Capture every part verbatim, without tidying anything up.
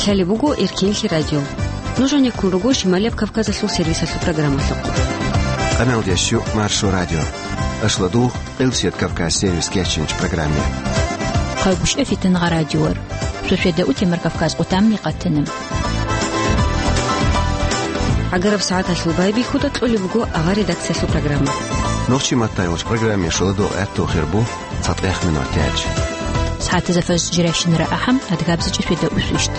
Лъалеб буго Эркенлъи радио. Нуж гьанеккун руго Шималияб Кавказалъул сервисалъул программалъухъ. Къамалдеш ю Маршо радио. Ашладугъ, Къилсият Кавказ сервис кечинч программе. Хъайгушев Фитангъа радиор. Сосведа утемар Кавказ къутамни къатана. ГӀагараб сагӀаталъул байбихьуда кьолеб буго авар редакциялъул программа. Нохчи маттайолч программе шуладугъ гӀатту хирбу. ЦатӀех минут яч. СагӀатазда фаз жиращинара ахӀам, адгабзичӀи феда усвищт.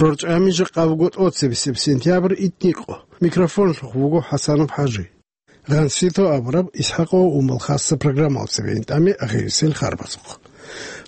РорчӀами жакъа вуго тӀоцебесеб сентябрь итникъо. Микрофонлъухъ вуго ХӀасанов ХӀажи. Гъансито абураб ИсхӀакъо Умал хасса программалцебе интӀаме ахирисел харбазухъ.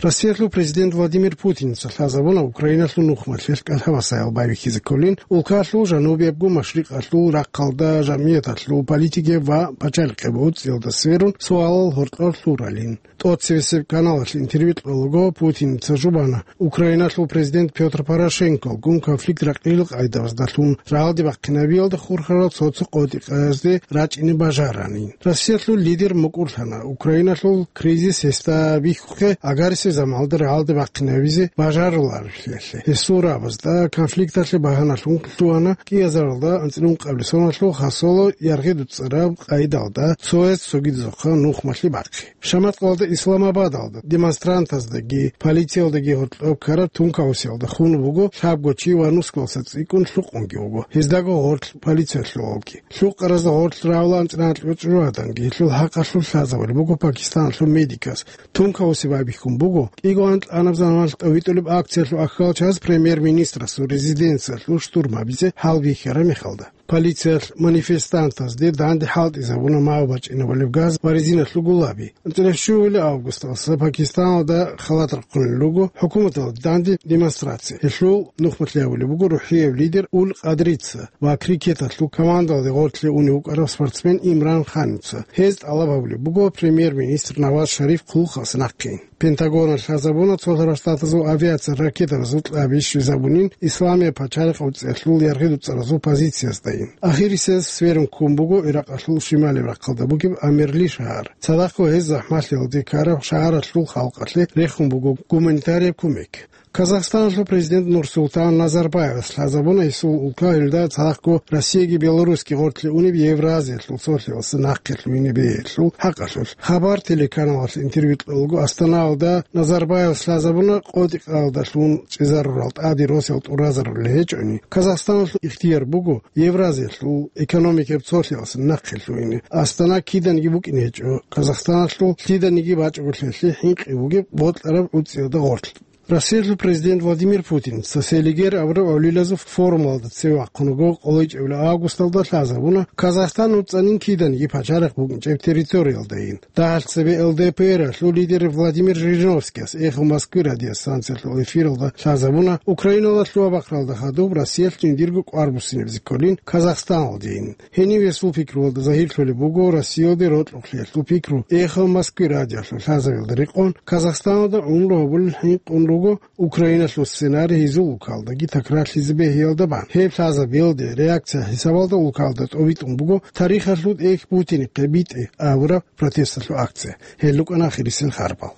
Россиялъул президент Владимир Путиница лъазабуна Украиналъул нухмалъелъ кӀалъабасаял байбихьизе кколин, улкалъул жанубиябго машрикъалъул рахъалда жамгӀияталъул политикияб ва пачалихъеб гӀуцӀиялда сверун суалал гьоркьор лъуралин. ТӀоцевесеб каналалъ интервью кьолаго Путиница жубана, Украиналъул президент Пётр Порошенкогун конфликт ракъилил къайдабаздалъун рагӀалде бахъинабиялда хурхарал цо-цо къотӀи-къаязде рачӀине бажаранин. Россиялъул лидер мукӀурлъана, Украиналъул кризис гьесда бихьухъе агарисеб заманалда рагӀалде бахъинабизе бажаруларевлъи. Гьесул рабазда конфликталъе багьаналъун лъугьана кӀиазаралда анцӀила ункъабилеб соналъул хасоло яргъи дуцӀараб къайдалда цояз цогидазухъа нухмалъи бахъи. Шаматкъалда Исламабадалда демонстрантаздаги полициялдаги гьоркьоб ккараб тункаусиялда хун буго лъабго чи ва нускалса цӀикӀкӀун лъукъунги вуго, гьездаго гъорлъ полициялъувалги. Лъукъаразда гъорлъ рагӀула анцӀила анкьабилеб чӀужугӀаданги гьелъул хӀакъалъулъ лъазабулеб буго Пакистаналъул медикас. Тункаусияб байбихьун буго, кӀиго анкьанаб заманалъ тӀовитӀулеб акциялъул ахӀвалчияс премьер-министрасул резиденциялъул штурм гьабизе гьалбихьараб мехалда. Полициялъ манифестантазде данде хӀалтӀизабуна мав бачӀинабулеб газ ва резиналъул гулаби. АнцӀила щугьула августалъ Пакистаналда халат рахъунел руго хӀукуматалда данде демонстрация. Гьелъул нухмалъи гьабулеб буго рухӀияб лидер Уль Къадрица ва крикеталъул командалде гъорлъе унев вукӀарав спортсмен Имран Ханица. Гьез тӀалаб гьабулеб буго премьер-министр Наваз Шариф хъулухъалъ нахъе. Пентагоналъ лъазабуна, цолъарал штатазул авиация ракетабазул кьаби щвезабунин Исламияб пачалихъ гӀуцӀиялъул яргъи дуцӀаразул позицияздаин. Ахирисез сверун ккун буго Иракъалъул шималияб рахъалда бугеб Амерли шагьар. Цадахъго гьез захӀмалъиялде ккараб шагьаралъул халкъалъе рехун буго гуманитарияб кумек. Казахстаналъул президент Нурсултан Назарбаевас лъазабуна гьесул улка гьелда цадахъго Россияги Беларусги гъорлъе унеб Евразиялъул цолъиялъе нахъе лъугьине бегьулеб хӀакъалъулъ. Хабар телеканалалъ интервью кьолаго Астанаялда Назарбаевас лъазабуна къотӀи-къаялдалъун чӀезарурал тӀаде росал тӀуразарулел гьечӀони, Казахстаналъул ихтияр буго Евразиялъул экономикияб цолъиялъе нахъе лъугьине. Астана киданиги букӀине гьечӀо, Казахстаналъул лъиданиги бачӀугелъулъе хӀинкъи бугеб бокьараб гӀуцӀиялда гъорлъ. Россиялъул президент Владимир Путин Селигер абураб гӀолилазул форумалда цеве вахъун вуго, къоло ичӀабилеб августалда лъазабуна Казахстан нуцӀанин киданиги пачалихъ букӀинчӀеб территориялдайин. Дагьалъ цебе ЛДПР-алъул лидер Владимир Жириновскияс «Эхо Москвы» радиостанциялъул эфиралда лъазабуна, Украинала лъугьа-бахъралда хадуб Россиялъ жиндирго кӀвар буссинабизе кколин Казахстаналдейин. Гьенив гьесул пикруялда загьирлъулеб буго Россиялде рокьулъиялъул пикру «Эхо Москвы» радиоялъул лъазабиялда рекъон, Казахстаналда гӀумру гьабулел хӀинкъун руго Украиналъул сценарий гьезул улкалдаги такрарлъизе бегьиялда бан. Гьеб лъазабиялде реакция хӀисабалда улкалда тӀовитӀун буго тарихалъул тӀехь Путинихъе битӀе абураб протесталъул акция. Гьел рукӀана ахирисел харбал.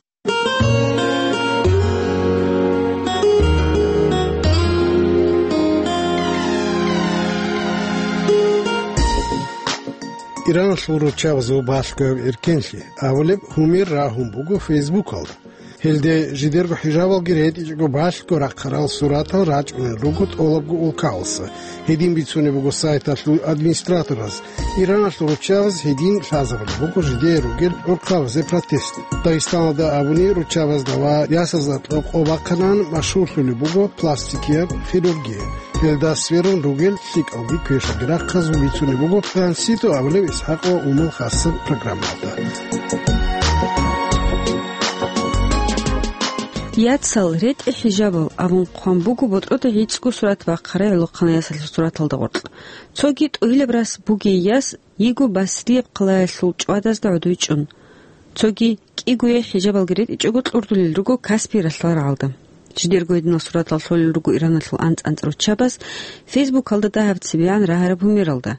Ираналъул руччабазул балъгояб эркенлъи абулеб гьумер рагьун буго Фейсбукалда. Гьелде жидерго хӀижабалги ретӀичӀого балъго рахъарал суратал рачӀунел руго тӀолабго улкаласа. Гьедин бицунеб буго сайталъул администратораз. Ираналъул руччабаз гьедин лъазабулеб буго жидее ругел гӀурхъабазе протест. Дагъистаналда абуни руччабазда ва ясазда кьо-, къо бахъанан машгьурлъулеб буго пластикияб хирургия. Гьелда сверун ругел лъикӀалги квешалги рахъазул бицунеб буго Гъансито абулеб ИсхӀакъ ва Умал хасаб программалда. Яцал ретӀи хӀижабал абун хъван буго ботӀрода гӀицӀго сурат бахъарай гӀолохъанай ясалъул сураталда гъоркь. Цоги тӀугьилаб рас бугей яс йиго Басрияб хъалаялъул чӀвадазда гӀодой чӀун. Цоги кӀигояй хӀижабалги ретӀичӀого кьурдулел руго Каспий ралъдал рагӀалда. Жидерго гьединал суратал лъолел руго Ираналъул анцӀ-анцӀ руччабаз Фейсбукалда дагьаб цебегӀан рагьараб гьумералда.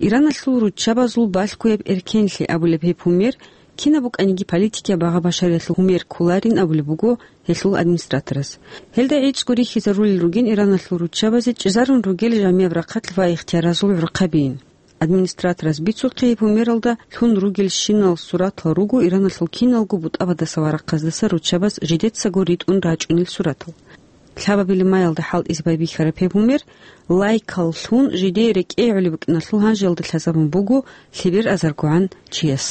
Ираналъул руччабазул балъгояб эркенлъи абулеб гьеб гьумер Кинаб букӀаниги политикияб багъа-башариялъул гьумер кколарин абулеб буго гьелъул администраторас. Гьелда гӀицӀго рихьизарулел ругин Ираналъул руччабазе чӀезарун ругел жамияб рахъалъ ва ихтияразул гӀурхъабиин. Администраторас бицухъе гьеб гьумералда лъун ругелщинал суратал руго Ираналъул киналго бутӀабаздаса ва рахъаздаса руччабаз жидецаго ритӀун рачӀунел суратал. Лъабабилеб маялда хӀалтӀизе байбихьараб гьеб гьумер лайкал лъун жидее рекӀее гӀолеб букӀиналъул гьанжеялда лъазабун буго лъебер азаргогӀан чияс.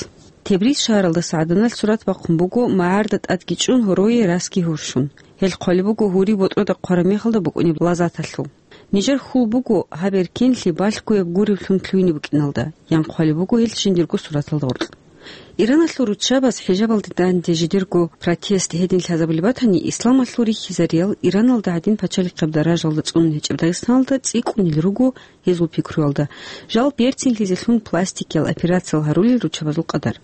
Тебриз шагьаралдаса гӀаданалъ сурат бахъун буго магӀарда тӀадги чӀун, гьорое расги гьурщун. Гьел хъвалеб буго гьури ботӀрода хъвараб мехалда букӀунеб лаззаталъул. Нижер хьул буго гьаб эркенлъи балъгояб гуреб лъун лъугьине букӀиналда, ян хъвалеб буго гьел жиндирго сураталда гъоркь. Ираналъул руччабаз хӀижабалде данде жидерго протест гьедин лъазабулеб батани, исламалъул рихьизариял Ираналда гӀадин пачалихъаб даражалда цӀунун гьечӀеб Дагъистаналда цӀикӀкӀунел руго гьезул пикруялда, жал берцинлъизелъун пластикиял операциял гьарулел руччабазул къадар.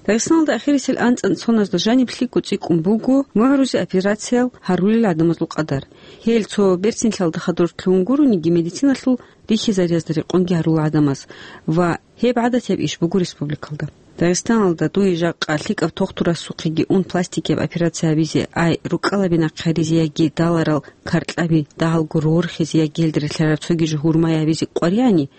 Дагъистаналда ахирисел анцӀан соназда жаниб лъикӀго цӀикӀкӀун буго мугӀрузе операциял гьарулел гӀадамазул къадар. Гьел цо берцинлъиялда хадур лъугьун гурониги, медициналъул рихьизариязда рекъонги гьарула гӀадамаз ва гьеб гӀадатияб иш буго республикалда. Дагъистаналда дуе жакъа лъикӀаб тохтурасухъеги ун пластикияб операция гьабизе, ай, рукӀкӀалаби нахъе гьаризе яги даларал каркьаби дагьалго рорхизе яги гьелда релълъараб цоги жо гьурмай гьабизе къваригӀани,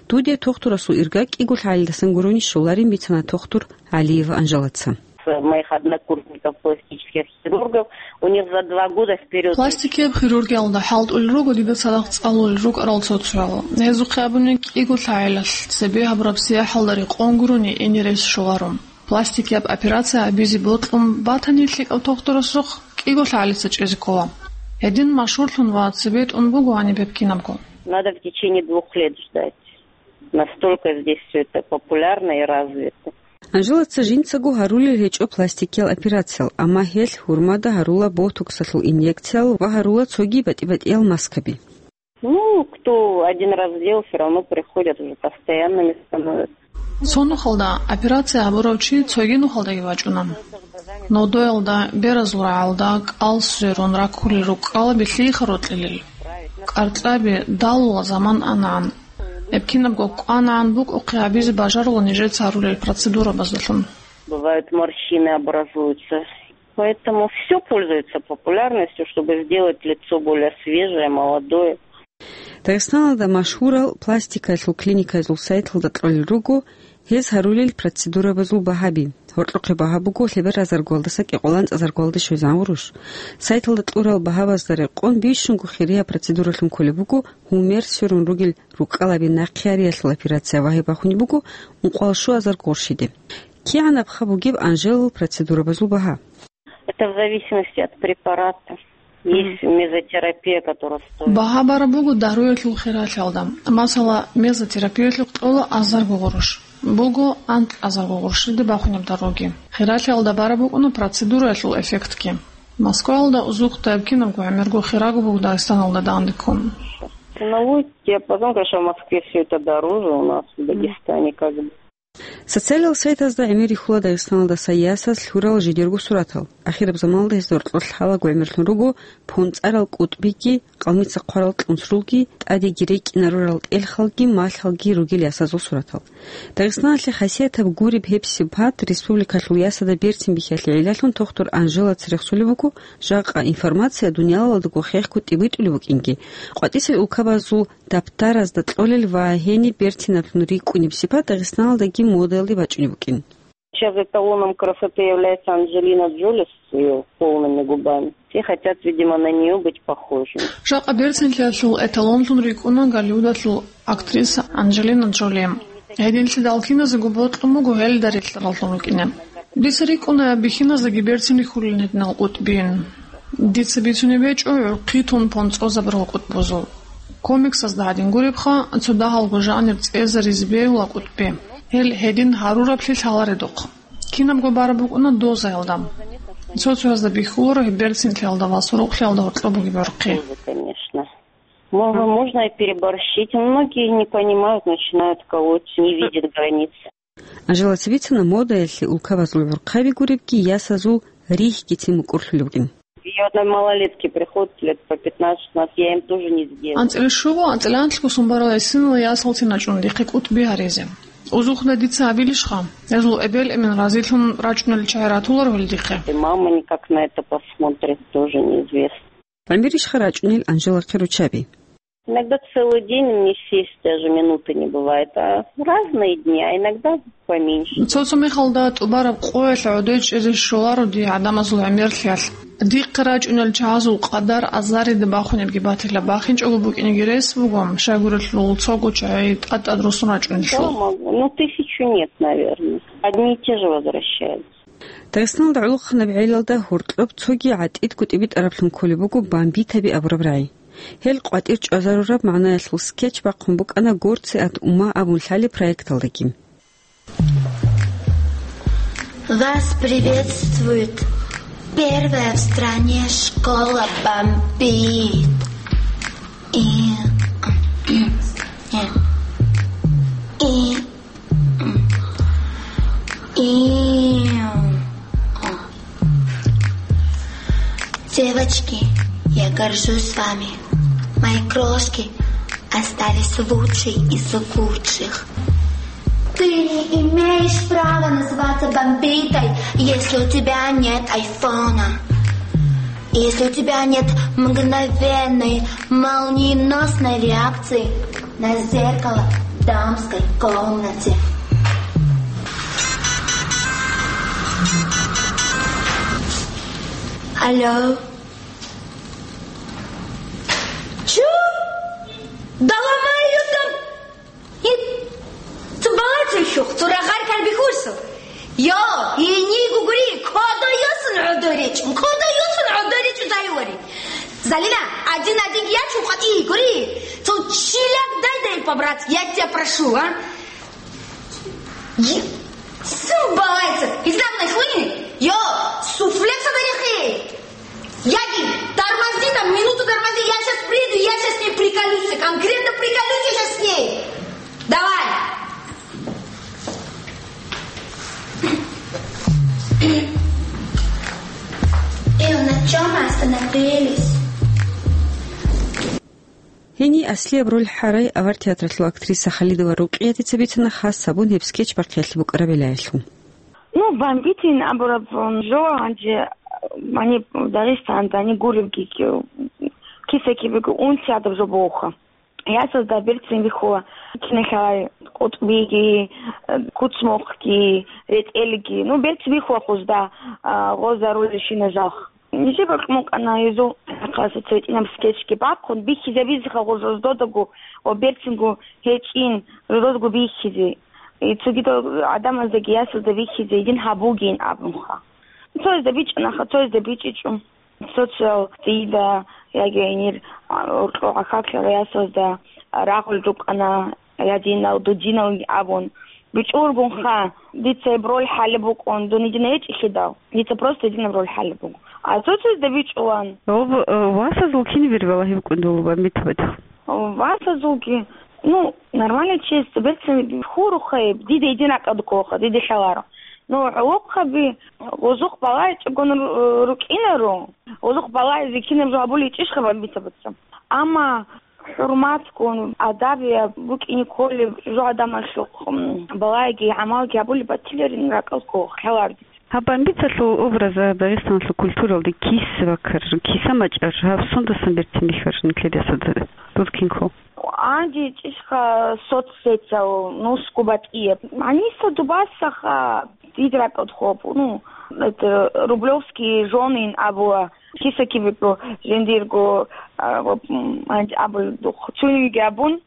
дуде тохтурасул ирга кӀиго лъагӀалидасан гурони щоларин, бицана тохтур ГӀалиева Анжелаца. Моих однокурсников, пластических хирургов, у них за два года вперёд. Пластикияб хирургиялда хӀалтӀулел руго дида цадахъ цӀалулел рукӀарал цо-цоял. Гьезухъе абуни, кӀиго лъагӀалилъ цебе гьабураб сияхӀалда рекъон гурони ине рес щоларо. Пластикияб операция гьабизе бокьун батани, лъикӀав тохтурасухъ кӀиго лъагӀалица чӀезе ккола. Гьедин машгьурлъун ва цебетӀун буго гьаниб гьеб кинабго. Надо в течение двух лет ждать. Настолько здесь всё это популярно и развито. Анжелаца жинцаго гьарулел гьечӀо пластикиял операциял, амма гьелъ гьурмада гьарула ботоксалъул инъекциял ва гьарула цоги батӀи-батӀиял маскаби. Ну, кто один раз сделал, всё равно приходят, уже постоянными становятся. Цо нухалда операция гьабурав чи цоги нухалдаги вачӀуна. Нодоялда, беразул рагӀалда, кӀал сверун раккулел рукӀкӀалаби лъиха рокьилел. Каркьаби далула заман анагӀан. Эбкинабго кӀванагӀан букӀухъе гьабизе бажарула нижеца гьарулел процедурабаздалъун. Бывают морщины, образуются. Поэтому всё пользуется популярностью, чтобы сделать лицо более свежее, молодое. Дагъистаналда машгьурал пластикаялъул клиникаязул сайталда кьолел руго гьез гьарулел процедурабазул багьаби. Гьоркьохъе багьа буго лъебер азаргоялдаса кӀикъоялда анцӀазаргоялде щвезегӀан гъурущ. Сайталда кьурал багьабазда рекъон бищунго хирияб процедуралъун кколеб буго гьумер сверун ругел рукӀкӀалаби нахъе гьариялъул операция ва гьеб бахунеб буго ункъоялда щуазарго гъурщиде. КигӀан абха бугеб Анжелал процедурабазул багьа? Это в зависимости от препарата. Есть мезотерапия, которая стоит. Багьа бараб буго дагьруялъул хиралъиялда. Масала, мезотерапиялъухъ кьола азарго гъурущ. Буго анкьазарго гъурщиде бахунеб даруги. Хиралъиялда бараб букӀуна процедураялъул эффектги. Москваялда узухъда эбкинабго гӀемерго хираг буго Дагъистаналда данде ккун. Ценовой диапазон, конечно, в Москве всё это дороже, у нас в Дагестане как бы. Социалияб сайтазда гӀемер рихьула Дагъистаналдаса ясаз лъурал жидерго суратал. Ахираб заманалда гьезда гьоркьор лъалаго гӀемерлъун руго понцӀарал кӀутӀбиги, къалмица хъварал кьунсрулги, тӀадеги рекӀина рурал тӀелхалги, малъалги ругел ясазул суратал. Дагъистаналъе хасиятаб гуреб гьеб сипат республикалъул ясазда берцин бихьиялъе гӀиллалъун тохтур Анжелаца рехсолеб буго, жакъа информация дуниялалдаго хехго тӀибитӀулеб букӀинги, къватӀисел улкабазул даптаразда кьолел ва гьениб берцинаблъун рикӀкӀунеб сипат Дагъистаналдаги модаялде бачӀунеб букӀин. Сейчас эталоном красоты является Анджелина Джоли с её полными губами. Все хотят, видимо, на неё быть похожими. Жакъа берцинлъиялъул эталонлъун рикӀкӀуна Голливудалъул актриса Анджелина Джоли. Гьединлъидал киназего бокьун буго гьелда релълъараллъун рукӀине. Дица рикӀкӀуна бихьиназдаги берцин рихьулин гьединал кӀутӀбиин. Дица бицунеб гьечӀо гӀурхъи тун понцӀозабурал кӀутӀбузул. Комиксазда гьадин гуребха, цо дагьалго жанр цӀезаризе бегьула кӀутӀби. Гьел гьедин гьарураблъи лъаларедухъ. Кинабго бараб букӀуна дозаялда. Цо-цоязда бихьуларо гьеб берцинлъиялда ва сорокълъиялда гьоркьоб бугеб гӀурхъи. Доза, конечно. Мо-, можно и переборщить. Многие не понимают, начинают колоть, не видят границ. Анжелаца бицана модаялъе улкабазул гӀурхъаби гуребги, ясазул рихьгицин мукӀурлъулебгин. И одной малолетки приходят лет по пятнадцать-шестнадцать, я им тоже не сделаю. АнцӀила щуго, анцӀила анлъго сон барал гӀисинала ясалцин рачӀуна дихъе кӀутӀби гьаризе. Узухъна дица абилищха? Гьезул эбел-эмен разилъун рачӀунел чагӀи ратуларо гьел дихъе? И мама никак на это посмотрит, тоже неизвестно. ГӀемерищха рачӀунел Анжелахъе руччаби? Иногда целый день мне сесть даже минуты не бывает, а разные дни, а иногда поменьше. Цо-цо мехалда тӀубараб къоялъ гӀодой чӀезе щоларо дие гӀадамазул гӀемерлъиялъ. Дихъе рачӀунел чагӀазул къадар азарида бахунебги батила, бахинчӀого букӀинеги рес буго, щайгурелъул цого чагӀи тӀад-тӀад росун рачӀунелъул. Слава Богу, ну, тысячу нет, наверное. Одни и те же возвращаются. Дагъистаналда гӀолохъанаб гӀелалда гьоркьоб цоги гӀатӀидго тӀибитӀараблъун кколеб буго бамбитаби абураб рагӀи. Гьел къватӀир чӀвазарураб магӀнаялъул скетч бахъун букӀана «Горцы от ума» абун лъалеб проекталдаги. Вас приветствует первая в стране школа бомбит. И, и, и И, девочки, я горжусь вами. Мои крошки остались лучшие из лучших. Ты не имеешь права называться бомбитой, если у тебя нет айфона. Если у тебя нет мгновенной, молниеносной реакции на зеркало в дамской комнате. Алло. Чу? Да ломай её там! Ит, цо балагье хьухь, цо рагъ-гъар ккараб бихьуларо. Йо, гьениб гури, кодо йосун гӀодой речӀун, кодо йосун гӀодой речӀун, Залина. Залина, один-один ячун къватӀие гури, цо чилаг дай-дай по-братски, я тебя прошу, а? Е-, сын балагье, изламный хуйни? Йо, суфле цо берехъе. Яги, тормози там, минуту тормози, я щас приду, я щас с ней приколюсь, конкретно приколюсь я щас с ней. Давай. Ил, на чём мы остановились? Гьениб аслияб роль гьарай авар театралъул актриса Халидова Рукъиятица бицана хас гьабун гьеб скетч бахъиялъе букӀараб гӀелаялъул. Ну, бомбитин абураб, м, жо гьанже, м, гьаниб Дагъистаналда гьаниб гуребги, ки-, киса-кибего унти гьадаб жо бугоха. Ясазда берцин бихьула киналъай къутӀбиги, э, куцмухъги, ретӀелги. Ну, берцин бихьула хъузда, а, гъоза роль ришина жалх. Нижер бокьун букӀана гьезул хӀакъалъулъ цо гьитӀинаб скетчги бахъун, бихьизабизеха гъур жуздодаго ва берцинго гьечӀин жуздодаго бихьизе. И цогидал гӀадамаздаги ясазда бихьизе гьедин гьабугейин абунха. Цоязда бичӀчӀанаха, цоязда бичӀчӀичӀо. Социал дида яги гьенир, а, уркьо гӀахьаллъарал ясазда рагъул рукӀана. Я динал, дудинал абун. БичӀчӀулгунха, дица гьеб роль хӀалеб букӀун, дун гьедин гьечӀелъидал, дица просто гьединаб роль хӀалеб буго. А цо-цоязда бичӀчӀулан. Об, э, васазул кинаб бер балагьи букӀун долуба, Митабат? Васазулги, ну, нормально честь, берцин хьурухъе, дида гьедин ракӀалда кколаха, дида лъаларо. Ну, гӀолохъаби, гъозухъ балагьичӀогун ру-, рукӀинаро, гъозухъ балагьизе кинаб жо гьабулеб гьечӀищха, Митабатца? Амма хӀурматгун, адабияб букӀине кколеб жо гӀадамалъухъ, м, балагьиги гӀамалги гьабулеб батиларин ракӀалда кколаха, лъаларо дица. Гьаб бомбиталъул образ Дагъистаналъул культуралде киса баккараб, киса мачӀараб, гьаб сундасан берцин бихьараб нилъеда, дур кин ккола? Гьанже гьечӀищха соцсетял, нусго батӀияб. Гьаниса дубасаха, дида ракӀалда ккола, ну, это, рублёвские жёны абула. Киса-кибего жиндирго, а, ва, м, гьанже абулеб духъ. Цуниги абун,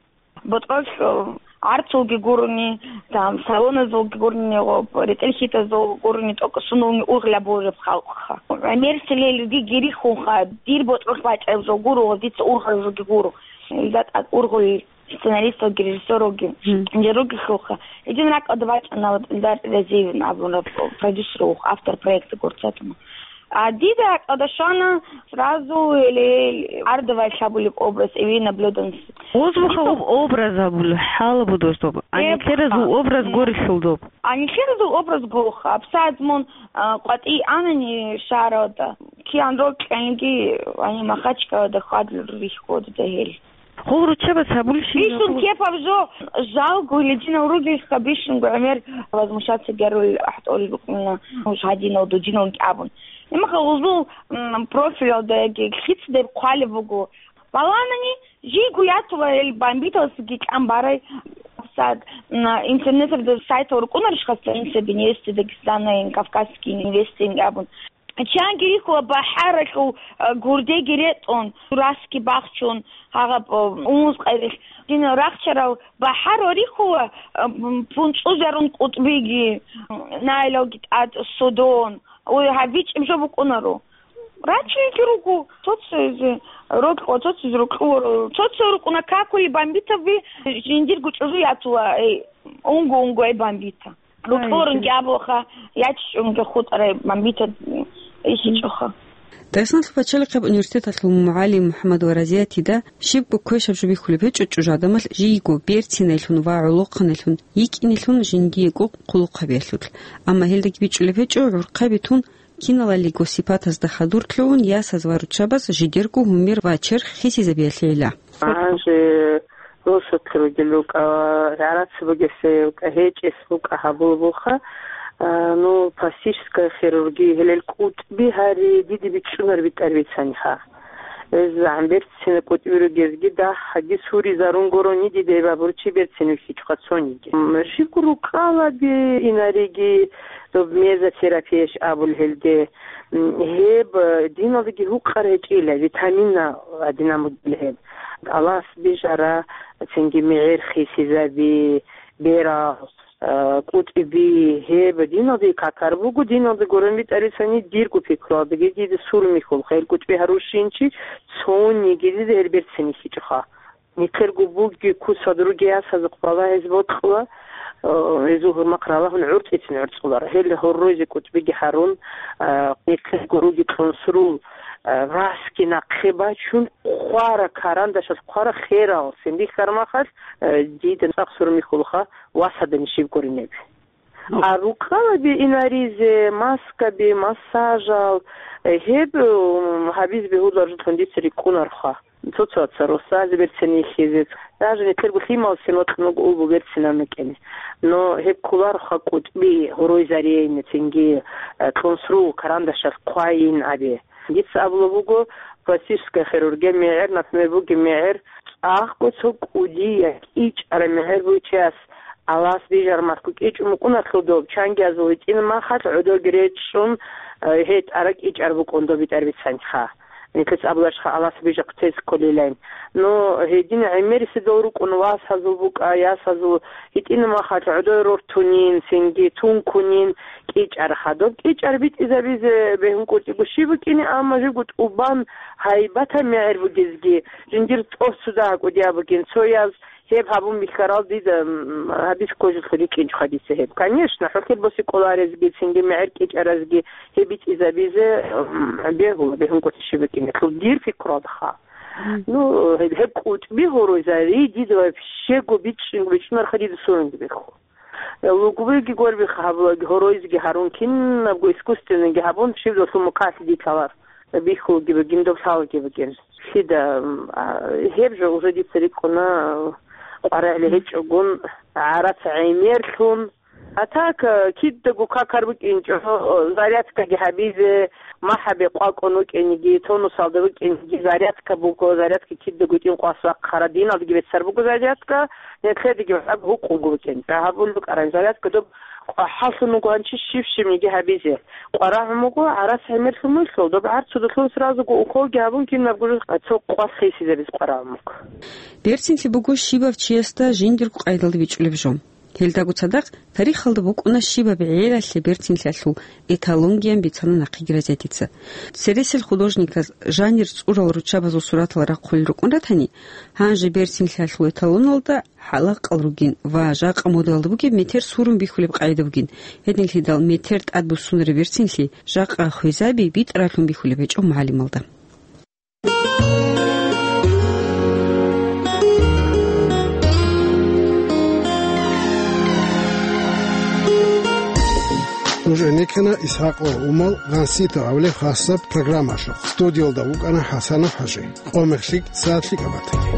ботӀролъ, э, гӀарцулги гурони, там, салоназулги гурони, ва ретӀел-хьитазул гурони, тӀокӀ сунулни ургъел гьабулеб халкъха. ГӀемер селелги гирихьунха, дир ботӀролъ бачӀараб жо гуро ва дица ургъараб жоги гуро. ИлдатӀа ургъулел сценаристалги, режиссёралги, мгм, инжирулги лъуха. Гьедин ракӀалда бачӀана ва Эльдар Разиевин абураб продюсер вух, автор проекта «Горцы от ума». А дида ракӀалда щвана сразу гьеле Ардовай лъабулеб образ, Эвина Блёданс. Озбуха об-, образ абула, хӀалабудоздоб. Э, Анихеразул баха. Образ, м, горелъулдоб. Анихеразул образ гуха. Абсадмун, а, къватӀи анани шагьаралда. Киян рокьанги, ани Махачкалада хьвадлур рихьулда гьел. Гъол руччабаз гьабулищин Бищун жо? Кепаб жо, жалго, лединал ругелха бищунго гӀемер возмущаться гьарулел ахӀтӀолел букӀуна, нуж гьадинал, дудинал абун. Имаха гъузул, м, профилалда яги лъицадеб хъвалеб буго. Баланани, жийго ятула гьел бомбиталсаги кӀан барай. Сад, м, интернеталда сайтал рукӀунарищха, страница Беневести Дагестана ин Кавказский инвестинг абун. Чанги рихьула бахӀаралъул, а, гурдеги ретӀун, расги бахчун, гьагъаб, а, унз къайрилъ. Дин рахчарал бахӀар ва рихьула, а, м, пунцӀузарун кӀутӀбиги, м, найлалги тӀад судун. Ой, гьаб бичӀеб жо букӀунаро. Рачунги руго, цо-цоязе рокьо, цо-цоязе рокьо, цо-цо рукӀуна какули бомбитаби, жиндирго чӀужу ятула, эй, унго-унго, эй, бомбита. Ай, Рукьорунги абуха, яччунги хутӀарай бомбита исичӀоха. Дагъистаналъул пачалихъаб университеталъул мугӀалим МухӀаммад Варазиятида щибго квешаб жо бихьулеб гьечӀо чӀужу гӀадамалъ жийго берцинайлъун ва гӀолохъанайлъун йикӀинелъун жиндиего хъулухъ гьабиялъулъ. Амма гьелдаги бичӀчӀулеб гьечӀо гӀурхъаби тун, киналалиго сипатазда хадур лъугӀун, ясаз ва руччабаз жидерго гьумер ва черх хисизабиялъейила. Гьанже росулъ ругел рукӀа, гӀарац бугесе рукӀа, гьечӀес рукӀа гьабулеб буха. А, ну, пластическая хирургия, гьелел кӀутӀби гьари диде бичӀчӀунар битӀар бицаниха. Гьез гӀемер цина кӀутӀби ругезги дагь гьаги суризарун гурони диде гьеб абурчи берцин вихьичӀха цониги. М, щибго рукъалаби инариги, доб мезотерапияш абул гьелде. М, гьеб, э, диналдаги гьукъар гьечӀила, витаминна гьадинан бугила гьеб. Алас бижара, цинги мегӀер хисизаби, берал, э, кӀутӀби, гьеб диналдаги какар буго, диналда гурун битӀарисани дирго пикруялдаги дида сурмихьул, хел кӀутӀби гьарущинчи, цониги дида гьел берцин вихьичӀоха. Нилъерго буги кусад руги ясазухъ балагьизе бокьула, э, гьезул гьурмахъ ралагьун гӀурцӀицин гӀурцӀулар. Гьел гьоройзе кӀутӀбиги гьарун, э, нилъерго руги кьунсрул, э, расги нахъе бачун, хъвара карандашалъ, хъвара херал, син бихьармахалъ, э, дида цӀакъ сурмихьулха, васадани щиб гуринеби. А рукъалаби инаризе, маскаби, массажал, э, гьеб, м, гьабизе бегьуларжулъун дица рикӀкӀунарха. Цо-цоца росазе берцин ихьизе, даже нилъерго лъималсин вокьун вуго улбу берцинан рукӀине. Но гьеб кколарха кӀутӀби гьоройзарейин, цинги, э, кьунсрул карандашалъ хъвайин абе. Дица абулеб буго, пластическая хирургия мегӀер, например, бугеб мегӀер, цӀакъго цо кӀудияв кӀичӀараб мегӀер бугев чияс, алас бижараб мехалъго кӀичӀун букӀунаро доб, чангиязул гьитӀинаб мехалъ гӀодовги речӀчӀун, э, гьей тӀараб кӀичӀараб букӀун доб битӀараб бицаниха. Нилъеца абуларищха алас бижахъе цеце кколилан. Но гьедин гӀемериседал рукӀун васазул букӀа, ясазул гьитӀинаб мехалъ гӀодой рортунин, цинги тункунин кӀичӀарха. Доб кӀичӀар битӀизабизе бегьункӀутӀиго щиб букӀине, амма живго тӀубан гьайбатаб мегӀер бугезги, жиндир тӀоцуда гьакӀудияб бугин, цояз гьеб гьабун бихьарал дида, м, гьабиз кколелъул рикӀкӀинчӀоха дица гьеб. Конечно, хӀухьел босе кӀоларезги, цинги мегӀер кӀичӀаразги гьеб битӀизабизе, м, бегьула, бегьункӀутӀи щиб букӀине, дир пикруялдаха. Ну, гьеб, гьеб кӀутӀби гьоройзари дида вообще-го бичӀчӀи-, бичӀчӀунарха дида сурунги бихьу. Лугбиги гурбихъ гьабулаги, гьоройзеги гьарун, кинабго искусственныйги гьабун, щиб досул мукъалъ диталар бихьулги бугин, доб лъалги бугин. Лъида, м, а, гьеб жо уже дица рикӀкӀуна, къваригӀел гьечӀогун, гӀарац гӀемерлъун, А так, э, кидаго какар букӀинчӀо, э, зарядкаги гьабизе, махӀабе къвакӀун вукӀиниги, тонусалда вукӀиниги, зарядка буго, зарядка кидаго гьитӀин къвас вахъара, диналдаги беццар буго зарядка, нилъедаги гьаб гьукъунго букӀин. Гьабулеб букӀараб зарядка доб къвахӀаллъун вуго гьанчи щиб-щибниги гьабизе. КъварагӀун вуго, гӀарац гӀемерлъун вугелъул, доб гӀарцудалъун сразуго уколги гьабун, кинабго жо цо къвас хисизабизе къварагӀун вуго. Берцинлъи буго щибав чиясда жиндирго къайдалда бичӀчӀулеб жо. Гьелдаго цадахъ тарихалда букӀуна щибаб гӀелалъе берцинлъиялъул эталонгиян бицана нахъеги Розетица. Цересел художниказ жанир цӀурал руччабазул суратал рахъулел рукӀун ратани, гьанже берцинлъиялъул эталоналда хӀалакъал ругин ва жакъа модалда бугеб метер сурун бихьулеб къагӀида бугин. Гьединлъидал метер тӀад буссунареб берцинлъи жакъа хвезаби битӀаралъун бихьулеб гьечӀо мугӀалималда. Нуж гӀенеккана ИсхӀакъ ва Умал Гъанситов гьавлеб хасаб программалъухъ. Студиялда вукӀана ХӀасанов ХӀажи. Къо-мех лъикӀ, сагӀат лъикӀаб батаги.